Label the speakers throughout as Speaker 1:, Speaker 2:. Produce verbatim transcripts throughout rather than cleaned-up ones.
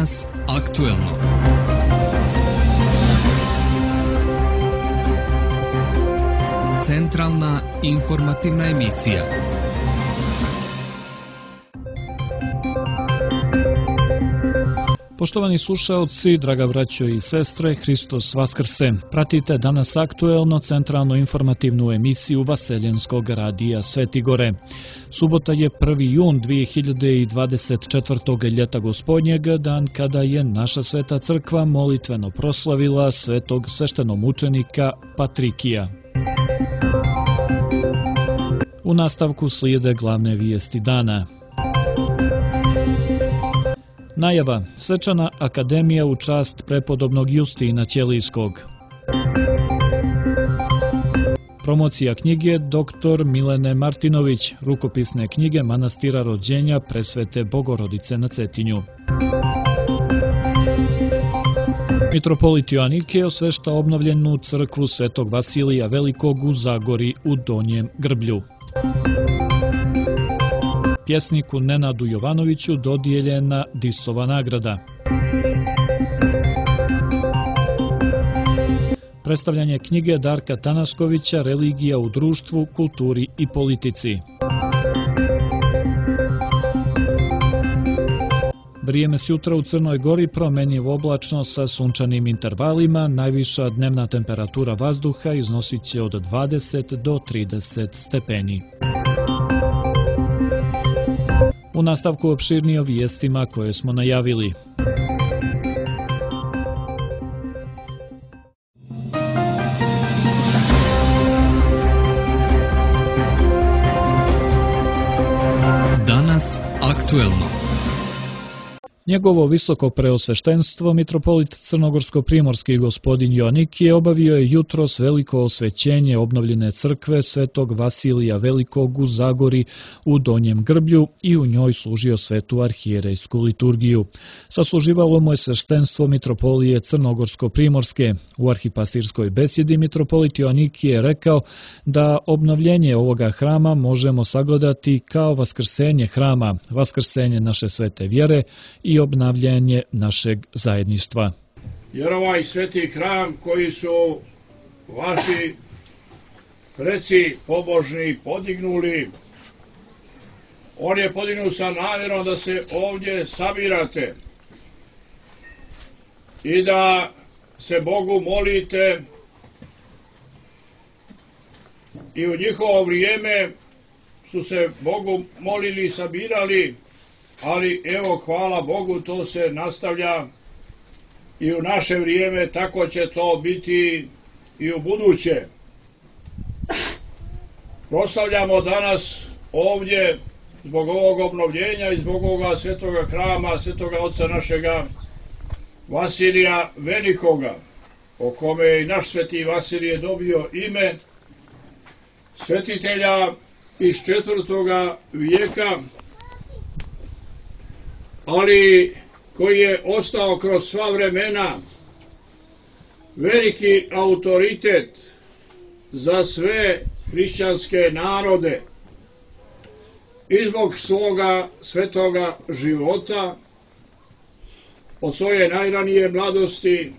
Speaker 1: Danas aktuelno. Centralna informativna emisija.
Speaker 2: Poštovani slušaoci, draga braćo i sestre, Hristos Vaskrse. Pratite Danas aktuelno centralno informativnu emisiju Vaseljenskog radija Svetigore. Subota je prvi jun dvije hiljade dvadeset četvrtog ljeta gospodnjeg, dan kada je naša sveta crkva molitveno proslavila svetog sveštenomučenika Patrikija. U nastavku slijede glavne vijesti dana. Najava, svečana akademija u čast prepodobnog Justina Ćelijskog. Promocija knjige doktor Milene Martinović, rukopisne knjige Manastira rođenja Presvete Bogorodice na Cetinju. Mitropolit Joanikije osvešta obnovljenu crkvu Svetog Vasilija Velikog u Zagori u Donjem Grblju. Pjesniku Nenadu Jovanoviću dodijeljena Disova nagrada. Predstavljanje knjige Darka Tanaskovića Religija u društvu, kulturi i politici. Vrijeme sutra u Crnoj Gori promjenjivo oblačno sa sunčanim intervalima, najviša dnevna temperatura vazduha iznosit će od dvadeset do trideset stepeni. U nastavku opširnije o vijestima koje smo najavili.
Speaker 1: Danas aktuelno.
Speaker 2: Njegovo visoko preosveštenstvo, mitropolit Crnogorsko-primorski gospodin Joanikije, obavio je jutros veliko osvećenje obnovljene crkve Svetog Vasilija Velikog u Zagori u Donjem Grblju i u njoj služio svetu arhijerejsku liturgiju. Sasluživalo mu je sveštenstvo mitropolije Crnogorsko-primorske. U arhipastirskoj besjedi mitropolit Joanikije je rekao da obnovljenje ovoga hrama možemo sagledati kao vaskrsenje hrama, vaskrsenje naše svete vjere i i obnavljanje našeg zajedništva.
Speaker 3: Jer ovaj sveti hram koji su vaši preci pobožni podignuli, on je podignut sa namjerom da se ovdje sabirate i da se Bogu molite, i u njihovo vrijeme su se Bogu molili i sabirali, ali evo, hvala Bogu, to se nastavlja i u naše vrijeme, tako će to biti i u buduće. Proslavljamo danas ovdje zbog ovog obnovljenja i zbog ovoga svetoga hrama, svetoga oca našega Vasilija Velikoga, o kome je i naš sveti Vasilije dobio ime, svetitelja iz četvrtoga vijeka, ali koji je ostao kroz sva vremena veliki autoritet za sve hrišćanske narode i zbog svoga svetoga života, od svoje najranije mladosti,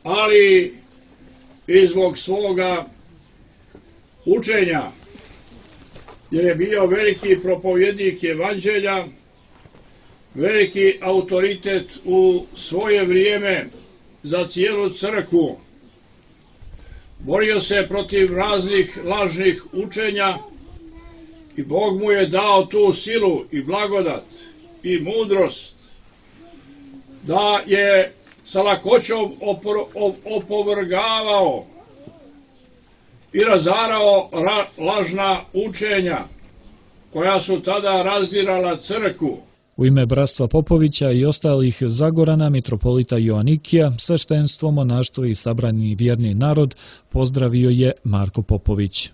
Speaker 3: ali i zbog svoga učenja, jer je bio veliki propovjednik evanđelja, veliki autoritet u svoje vrijeme za cijelu crkvu. Borio se protiv raznih lažnih učenja i Bog mu je dao tu silu i blagodat i mudrost da je sa lakoćom opor- opovrgavao i razarao ra- lažna učenja koja su tada razdirala crkvu.
Speaker 2: U ime Bratstva Popovića i ostalih Zagorana, mitropolita Joanikija, sveštenstvo, monaštvo i sabrani vjerni narod pozdravio je Marko Popović.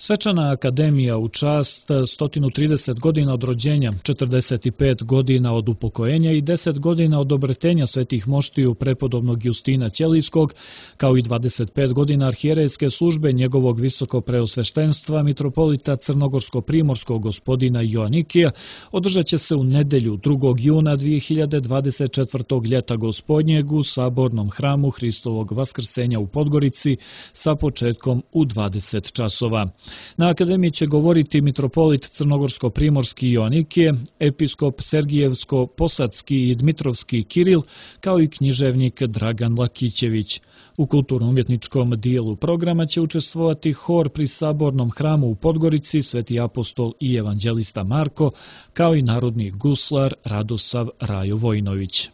Speaker 2: Svečana akademija u čast sto trideset godina od rođenja, četrdeset pet godina od upokojenja i deset godina od obretenja svetih moštiju prepodobnog Justina Ćelijskog, kao i dvadeset pet godina arhijerejske službe njegovog visoko preosveštenstva mitropolita crnogorsko-primorskog gospodina Joanikija, održat će se u nedelju drugog juna dvije hiljade dvadeset četvrtog ljeta gospodnjeg u Sabornom hramu Hristovog vaskrsenja u Podgorici sa početkom u dvadeset časova. Na akademiji će govoriti mitropolit crnogorsko-primorski Joanikije, episkop Sergijevsko-Posadski i Dmitrovski Kiril, kao i književnik Dragan Lakićević. U kulturno-umjetničkom dijelu programa će učestvovati hor pri Sabornom hramu u Podgorici, Sveti apostol i evanđelista Marko, kao i narodni guslar Radosav Rajo Vojinović.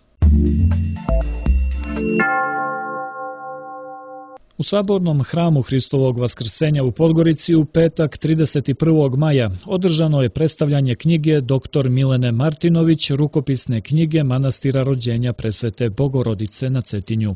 Speaker 2: U Sabornom hramu Hristovog vaskrsenja u Podgorici u petak trideset prvog maja održano je predstavljanje knjige doktor Milene Martinović, rukopisne knjige manastira rođenja Presvete Bogorodice na Cetinju.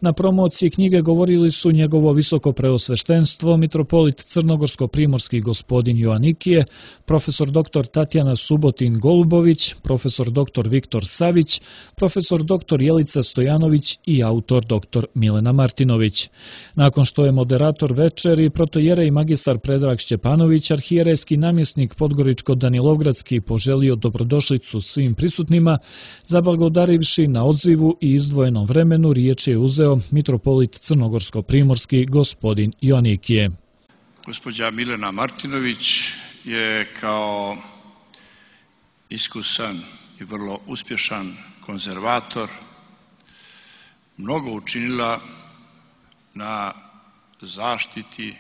Speaker 2: Na promociji knjige govorili su njegovo visoko preosveštenstvo, mitropolit crnogorsko-primorski gospodin Joanikije, profesor doktor Tatjana Subotin Golubović, profesor doktor Viktor Savić, profesor doktor Jelica Stojanović i autor doktor Milena Martinović. Nakon što je moderator večeri, protojerej magistar Predrag Šćepanović, arhijerejski namjesnik Podgoričko-Danilovgradski, poželio dobrodošlicu svim prisutnima, zablagodarivši na odzivu i izdvojenom vremenu, riječ je uzeo mitropolit crnogorsko-primorski gospodin Joanikije.
Speaker 3: Gospođa Milena Martinović je kao iskusan i vrlo uspješan konzervator mnogo učinila na zaštiti,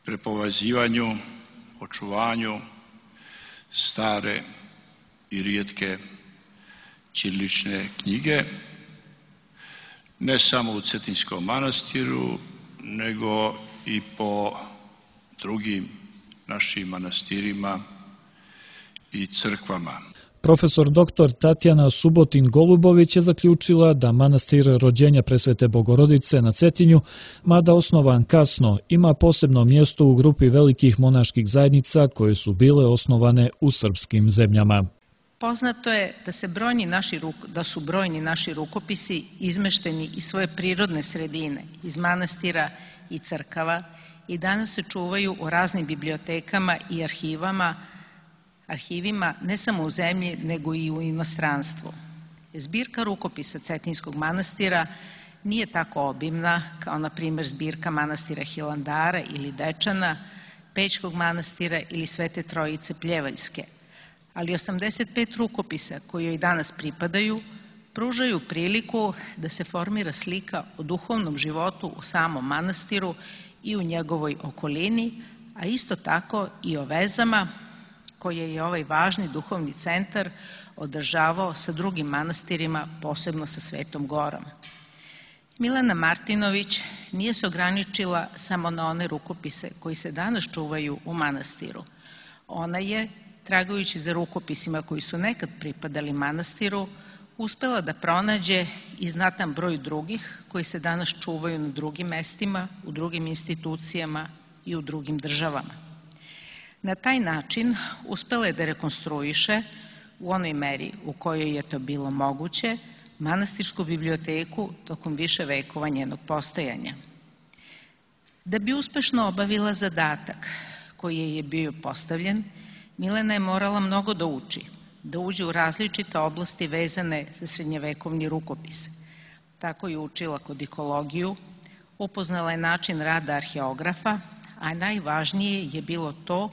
Speaker 3: prepovezivanju, očuvanju stare i rijetke ćirilične knjige, ne samo u Cetinskom manastiru, nego i po drugim našim manastirima i crkvama.
Speaker 2: Profesor doktor Tatjana Subotin Golubović je zaključila da manastir rođenja Presvete Bogorodice na Cetinju, mada osnovan kasno, ima posebno mjesto u grupi velikih monaških zajednica koje su bile osnovane u srpskim zemljama.
Speaker 4: Poznato je da, se brojni naši, da su brojni naši rukopisi izmešteni iz svoje prirodne sredine, iz manastira i crkava i danas se čuvaju u raznim bibliotekama i arhivama, arhivima ne samo u zemlji, nego i u inostranstvu. Zbirka rukopisa Cetinskog manastira nije tako obimna kao, na primjer, zbirka manastira Hilandara ili Dečana, Pećkog manastira ili Svete Trojice Pljevaljske, ali osamdeset pet rukopisa koji joj danas pripadaju pružaju priliku da se formira slika o duhovnom životu u samom manastiru i u njegovoj okolini, a isto tako i o vezama koje je ovaj važni duhovni centar održavao sa drugim manastirima, posebno sa Svetom Gorom. Milena Martinović nije se ograničila samo na one rukopise koji se danas čuvaju u manastiru. Ona je, tragajući za rukopisima koji su nekad pripadali manastiru, uspela da pronađe i znatan broj drugih koji se danas čuvaju na drugim mestima, u drugim institucijama i u drugim državama. Na taj način uspela je da rekonstruiše u onoj meri u kojoj je to bilo moguće manastirsku biblioteku tokom više vekova njenog postojanja. Da bi uspešno obavila zadatak koji je bio postavljen, Milena je morala mnogo da uči, da uđe u različite oblasti vezane za srednjevekovni rukopis. Tako je učila kodikologiju, upoznala je način rada arheografa, a najvažnije je bilo to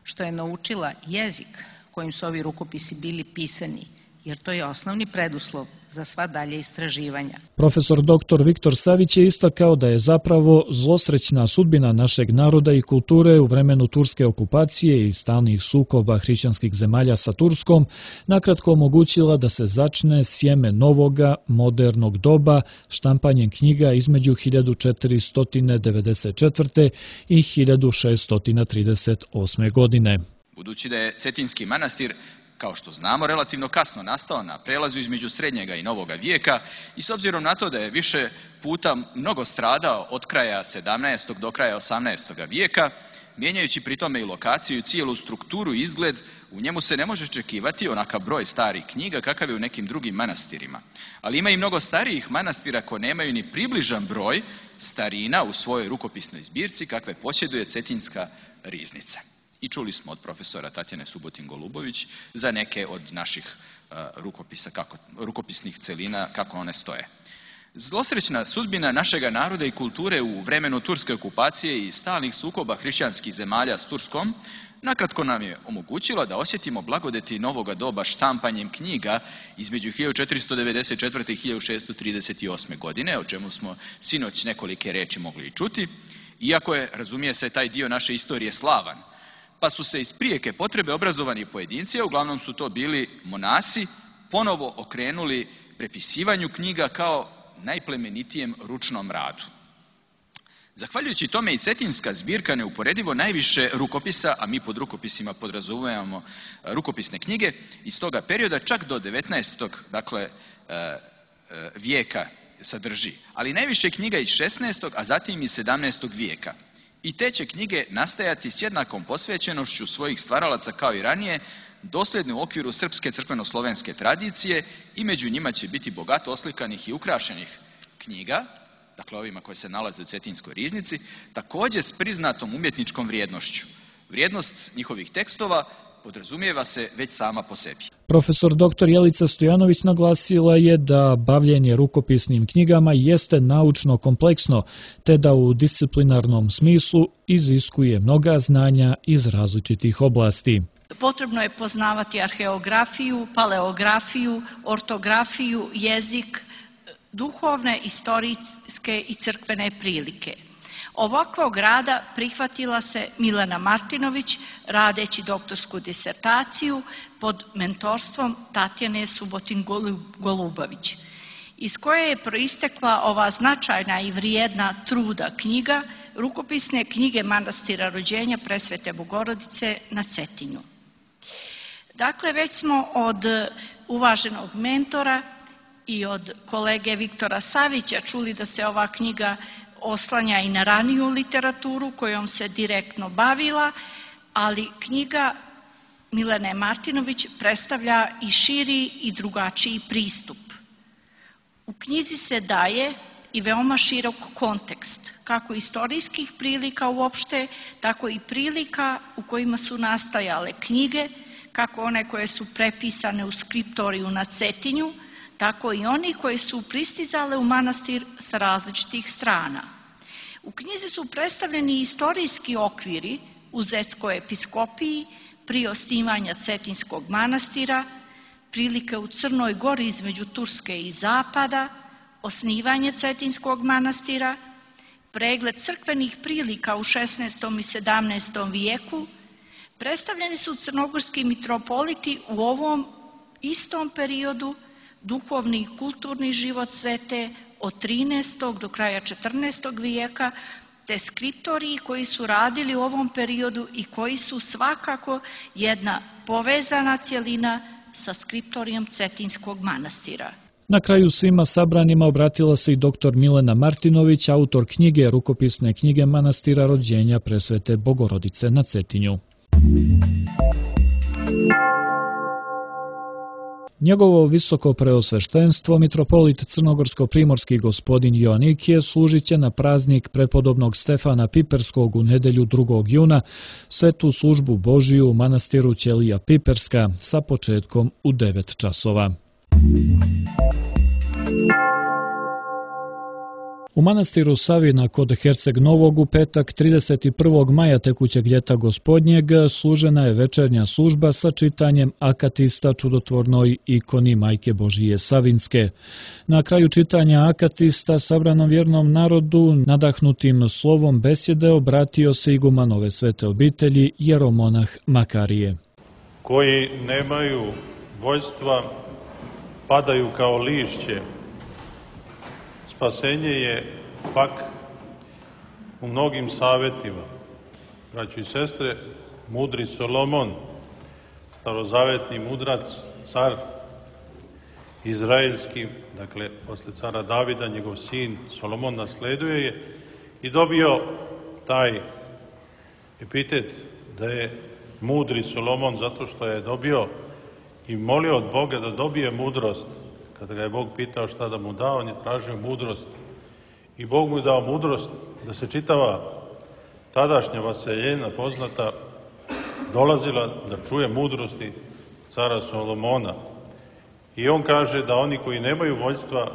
Speaker 4: što je naučila jezik kojim su ovi rukopisi bili pisani, jer to je osnovni preduslov za sva dalje istraživanja.
Speaker 2: Profesor doktor Viktor Savić je istakao da je zapravo zlosrećna sudbina našeg naroda i kulture u vremenu turske okupacije i stalnih sukoba hrišćanskih zemalja sa Turskom nakratko omogućila da se začne sjeme novoga, modernog doba štampanjem knjiga između hiljadu četiristo devedeset četvrte. i hiljadu šeststo trideset osme. godine.
Speaker 5: Budući da je Cetinski manastir kao što znamo, relativno kasno nastao na prelazu između srednjega i novoga vijeka i s obzirom na to da je više puta mnogo stradao od kraja sedamnaestog do kraja osamnaestog vijeka, mijenjajući pri tome i lokaciju i cijelu strukturu i izgled, u njemu se ne može očekivati onakav broj starih knjiga kakav je u nekim drugim manastirima. Ali ima i mnogo starijih manastira koji nemaju ni približan broj starina u svojoj rukopisnoj zbirci kakve posjeduje Cetinjska riznica. I čuli smo od profesora Tatjane Subotin-Golubović za neke od naših uh, rukopisa, kako, rukopisnih celina, kako one stoje. Zlosrećna sudbina našega naroda i kulture u vremenu turske okupacije i stalnih sukoba hrišćanskih zemalja s Turskom nakratko nam je omogućila da osjetimo blagodeti novoga doba štampanjem knjiga između hiljadu četiristo devedeset četvrte i hiljadu šesnaesta trideset osme. godine, o čemu smo sinoć nekolike reči mogli i čuti, iako je, razumije se, taj dio naše istorije slavan. Pa su se iz prijeke potrebe obrazovani pojedinci, a uglavnom su to bili monasi, ponovo okrenuli prepisivanju knjiga kao najplemenitijem ručnom radu. Zahvaljujući tome i Cetinjska zbirka neuporedivo najviše rukopisa, a mi pod rukopisima podrazumijevamo rukopisne knjige, iz toga perioda čak do devetnaestog dakle, vijeka sadrži. Ali najviše knjiga iz šesnaestog a zatim i sedamnaestog vijeka. I te će knjige nastajati s jednakom posvećenošću svojih stvaralaca kao i ranije, dosljedno u okviru srpske crkveno-slovenske tradicije i među njima će biti bogato oslikanih i ukrašenih knjiga, dakle ovima koje se nalaze u Cetinjskoj riznici, također s priznatom umjetničkom vrijednošću. Vrijednost njihovih tekstova podrazumijeva se već sama po sebi.
Speaker 2: Profesor doktor Jelica Stojanović naglasila je da bavljenje rukopisnim knjigama jeste naučno kompleksno, te da u disciplinarnom smislu iziskuje mnoga znanja iz različitih oblasti.
Speaker 6: Potrebno je poznavati arheografiju, paleografiju, ortografiju, jezik, duhovne, istorijske i crkvene prilike. Ovakvog rada prihvatila se Milena Martinović radeći doktorsku disertaciju pod mentorstvom Tatjane Subotin-Golubović, iz koje je proistekla ova značajna i vrijedna truda knjiga, rukopisne knjige manastira rođenja Presvete Bogorodice na Cetinju. Dakle, već smo od uvaženog mentora i od kolege Viktora Savića čuli da se ova knjiga oslanja i na raniju literaturu kojom se direktno bavila, ali knjiga Milene Martinović predstavlja i širi i drugačiji pristup. U knjizi se daje i veoma širok kontekst, kako istorijskih prilika uopšte, tako i prilika u kojima su nastajale knjige, kako one koje su prepisane u skriptoriju na Cetinju, tako i oni koji su pristizale u manastir sa različitih strana. U knjizi su predstavljeni istorijski okviri u Zetskoj episkopiji, prije osnivanja Cetinjskog manastira, prilike u Crnoj Gori između Turske i Zapada, osnivanje Cetinjskog manastira, pregled crkvenih prilika u šesnaestom i sedamnaestom vijeku, predstavljeni su crnogorski mitropoliti u ovom istom periodu, duhovni i kulturni život Zete od trinaestog do kraja četrnaestog vijeka, te skriptoriji koji su radili u ovom periodu i koji su svakako jedna povezana cjelina sa skriptorijom Cetinjskog manastira.
Speaker 2: Na kraju svima sabranima obratila se i doktor Milena Martinović, autor knjige rukopisne knjige manastira rođenja Presvete Bogorodice na Cetinju. Njegovo visoko preosveštenstvo, mitropolit crnogorsko-primorski gospodin Joanikije, služit će na praznik prepodobnog Stefana Piperskog u nedelju drugog juna svetu službu Božiju u manastiru Ćelija Piperska sa početkom u devet časova. U manastiru Savina kod Herceg Novog u petak trideset prvog maja tekućeg ljeta gospodnjeg služena je večernja služba sa čitanjem akatista čudotvornoj ikoni Majke Božije Savinske. Na kraju čitanja akatista sabranom vjernom narodu nadahnutim slovom besjede obratio se iguman ove svete obitelji jeromonah Makarije.
Speaker 7: Koji nemaju vođstva padaju kao lišće. Spasenje je pak u mnogim savjetima. Braći i sestre, mudri Solomon starozavetni mudrac, car izraelski, dakle, posle cara Davida, njegov sin Solomon nasleduje je i dobio taj epitet da je mudri Solomon zato što je dobio i molio od Boga da dobije mudrost. Kada ga je Bog pitao šta da mu da, on je tražio mudrost. I Bog mu je dao mudrost da se čitava tadašnja vaseljena poznata dolazila da čuje mudrosti cara Solomona. I on kaže da oni koji nemaju vođstva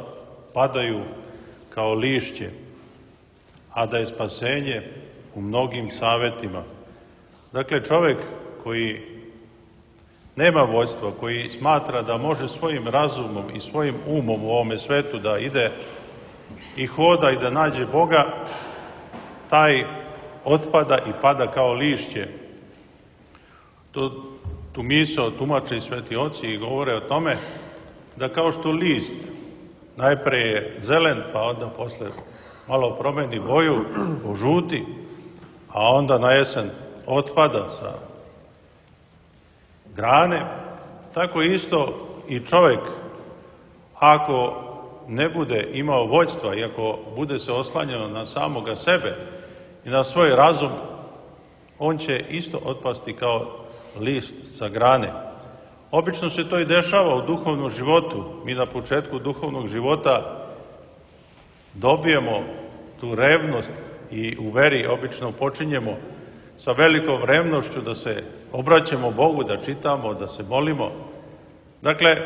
Speaker 7: padaju kao lišće, a da je spasenje u mnogim savetima. Dakle, čovek koji nema vođstva, koji smatra da može svojim razumom i svojim umom u ovome svetu da ide i hoda i da nađe Boga, taj otpada i pada kao lišće. To, tu misao tumače i sveti oci i govore o tome da kao što list najpre je zelen, pa onda posle malo promeni boju, požuti, a onda na jesen otpada sa grane, tako isto i čovek, ako ne bude imao vođstva i ako bude se oslanjao na samoga sebe i na svoj razum, on će isto otpasti kao list sa grane. Obično se to i dešava u duhovnom životu. Mi na početku duhovnog života dobijemo tu revnost i u veri obično počinjemo sa velikom revnošću da se obraćamo Bogu, da čitamo, da se molimo. Dakle,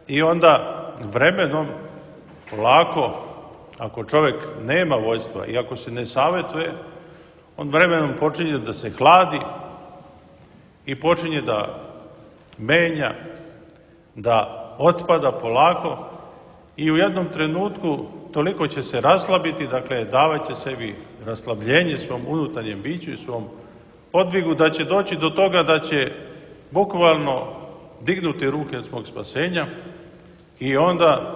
Speaker 7: i onda vremenom, polako, ako čovek nema vođstva i ako se ne savetuje, on vremenom počinje da se hladi i počinje da menja, da otpada polako i u jednom trenutku toliko će se raslabiti, dakle, davaće sebi raslabljenje svom unutarnjem biću i svom podvigu, da će doći do toga da će bukvalno dignuti ruke od svog spasenja i onda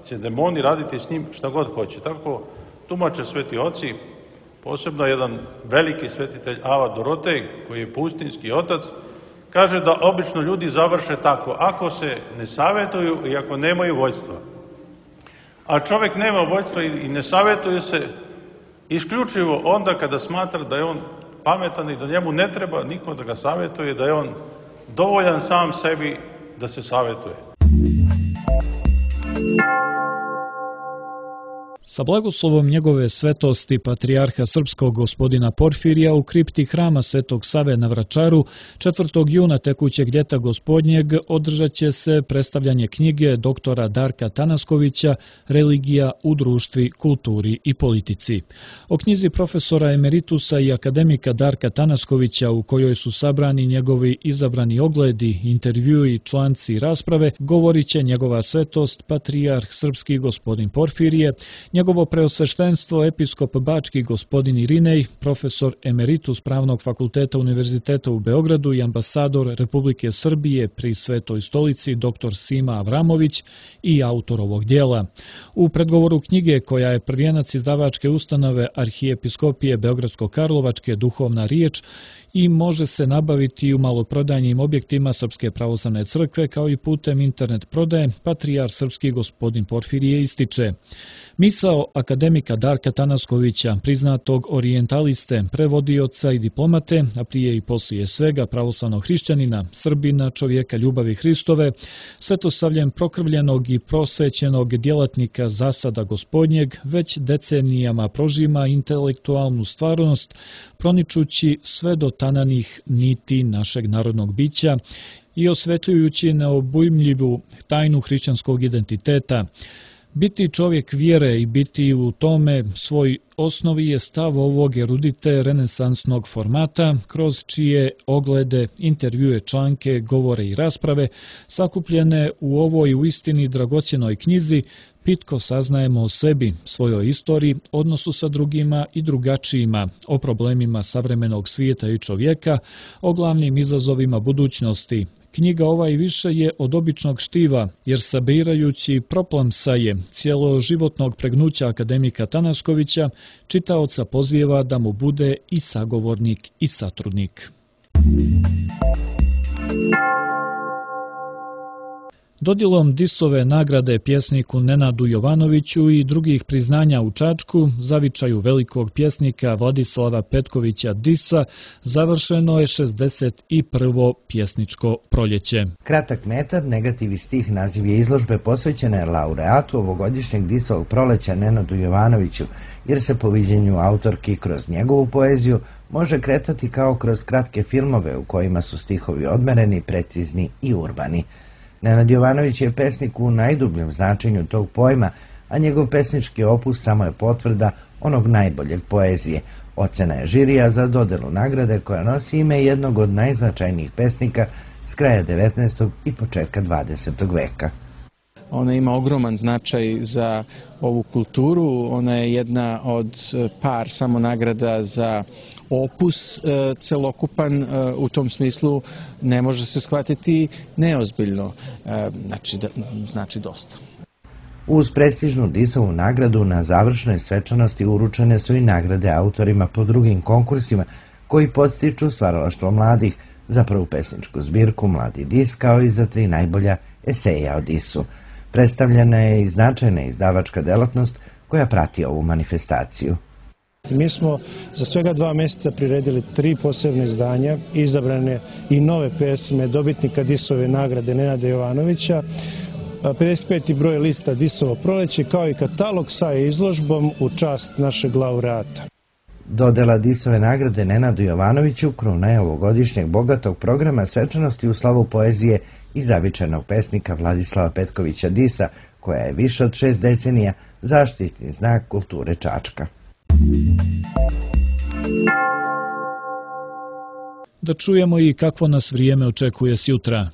Speaker 7: će demoni raditi s njim šta god hoće. Tako tumače sveti oci, posebno jedan veliki svetitelj Ava Dorotej, koji je pustinski otac, kaže da obično ljudi završe tako, ako se ne savetuju i ako nemaju vođstva. A čovek nema vođstva i ne savetuje se isključivo onda kada smatra da je on pametan i da njemu ne treba niko da ga savetuje, da je on dovoljan sam sebi da se savetuje.
Speaker 2: Sa blagoslovom njegove svetosti patrijarha srpskog gospodina Porfirija u kripti hrama Svetog Save na Vračaru četvrtog juna tekućeg ljeta gospodnjeg održat će se predstavljanje knjige doktora Darka Tanaskovića Religija u društvi, kulturi i politici. O knjizi profesora emeritusa i akademika Darka Tanaskovića, u kojoj su sabrani njegovi izabrani ogledi, intervjui i članci i rasprave, govorit će njegova svetost patrijarh srpski gospodin Porfirije, njegovo preosveštenstvo episkop bački gospodin Irinej, profesor emeritus Pravnog fakulteta Univerziteta u Beogradu i ambasador Republike Srbije pri Svetoj stolici dr Sima Avramović i autor ovog dijela. U predgovoru knjige, koja je prvijenac izdavačke ustanove Arhijepiskopije Beogradsko-Karlovačke Duhovna riječ i može se nabaviti u maloprodajnim objektima Srpske pravoslavne crkve kao i putem internet prodaje, patrijarh srpski gospodin Porfirije ističe: misao akademika Darka Tanaskovića, priznatog orijentaliste, prevodioca i diplomate, a prije i poslije svega pravoslavnog hrišćanina, Srbina, čovjeka ljubavi Hristove, svetosavljem prokrvljenog i prosvećenog djelatnika zasada gospodnjeg, već decenijama prožima intelektualnu stvarnost, proničući sve do tananih niti našeg narodnog bića i osvetljujući neobujmljivu tajnu hrišćanskog identiteta. Biti čovjek vjere i biti u tome svoj osnovi je stav ovog erudite renesansnog formata, kroz čije oglede, intervjue, članke, govore i rasprave, sakupljene u ovoj uistini dragocjenoj knjizi, pitko saznajemo o sebi, svojoj istoriji, odnosu sa drugima i drugačijima, o problemima savremenog svijeta i čovjeka, o glavnim izazovima budućnosti. Knjiga ova i više je od običnog štiva, jer sabirajući proplamsaje cijeloživotnog pregnuća akademika Tanaskovića, čitaoca pozijeva da mu bude i sagovornik i satrudnik. Dodjelom Disove nagrade pjesniku Nenadu Jovanoviću i drugih priznanja u Čačku, zavičaju velikog pjesnika Vladislava Petkovića Disa, završeno je šezdeset prvo pjesničko proljeće.
Speaker 8: Kratak metar, negativ i stih, naziv je izložbe posvećene laureatu ovogodišnjeg Disovog proleća Nenadu Jovanoviću, jer se po viđenju autorki kroz njegovu poeziju može kretati kao kroz kratke filmove u kojima su stihovi odmereni, precizni i urbani. Nenad Jovanović je pesnik u najdubljem značenju tog pojma, a njegov pesnički opus samo je potvrda onog najboljeg poezije. Ocena je žirija za dodelu nagrade koja nosi ime jednog od najznačajnijih pesnika s kraja devetnaestog i početka dvadesetog veka.
Speaker 9: Ona ima ogroman značaj za ovu kulturu, ona je jedna od par samo nagrada za opus celokupan, u tom smislu ne može se shvatiti neozbiljno, znači, znači dosta.
Speaker 8: Uz prestižnu Disovu nagradu na završnoj svečanosti uručene su i nagrade autorima po drugim konkursima koji podstiču stvaralaštvo mladih, za prvu pesničku zbirku Mladi Dis kao i za tri najbolja eseja o Disu. Predstavljena je i značajna izdavačka delatnost koja prati ovu manifestaciju.
Speaker 10: Mi smo za svega dva mjeseca priredili tri posebne izdanja, izabrane i nove pesme dobitnika Disove nagrade Nenada Jovanovića, pedeset peti broj lista Disovo proleće, kao i katalog sa izložbom u čast našeg laureata.
Speaker 8: Dodela Disove nagrade Nenadu Jovanoviću kruna je ovogodišnjeg bogatog programa svečanosti u slavu poezije i zavičajnog pesnika Vladislava Petkovića Disa, koja je više od šest decenija zaštitni znak kulture Čačka.
Speaker 2: Da čujemo i kakvo nas vrijeme očekuje sjutra.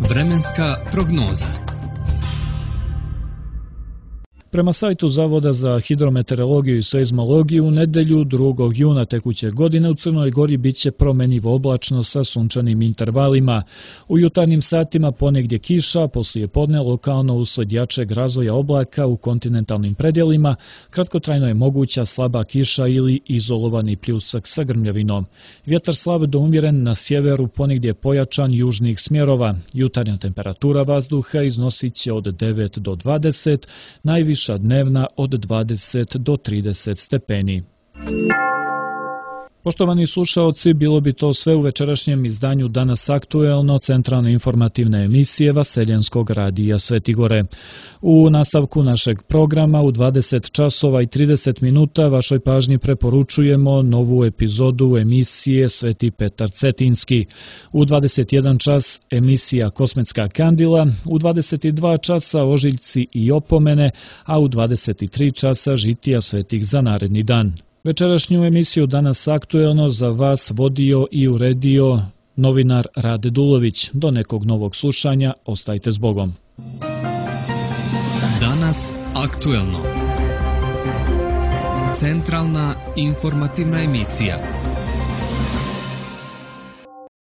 Speaker 1: Vremenska prognoza.
Speaker 2: Prema sajtu Zavoda za hidrometeorologiju i seizmologiju, u nedelju drugog juna tekuće godine u Crnoj Gori biće promjenjivo oblačno sa sunčanim intervalima. U jutarnjim satima ponegdje kiša, poslije podne lokalno usled jačeg razvoja oblaka u kontinentalnim predjelima, kratkotrajno je moguća slaba kiša ili izolovani pljusak sa grmljavinom. Vjetar slab do umjeren na sjeveru, ponegdje pojačan južnih smjerova. Jutarnja temperatura vazduha iznosit će od devet do dvadeset, najviše dnevna od dvadeset do trideset stepeni. Poštovani slušaoci, bilo bi to sve u večerašnjem izdanju Danas aktuelno, centralne informativne emisije Vaseljenskog radija Svetigore. U nastavku našeg programa u dvadeset časova i trideset minuta vašoj pažnji preporučujemo novu epizodu emisije Sveti Petar Cetinski. U dvadeset jedan čas emisija Kosmetska kandila, u dvadeset dva časa ožiljci i opomene, a u dvadeset tri časa žitija svetih za naredni dan. Večerašnju emisiju Danas aktuelno za vas vodio i uredio novinar Rade Dulović. Do nekog novog slušanja, ostajte s Bogom.
Speaker 1: Danas aktuelno. Centralna informativna emisija.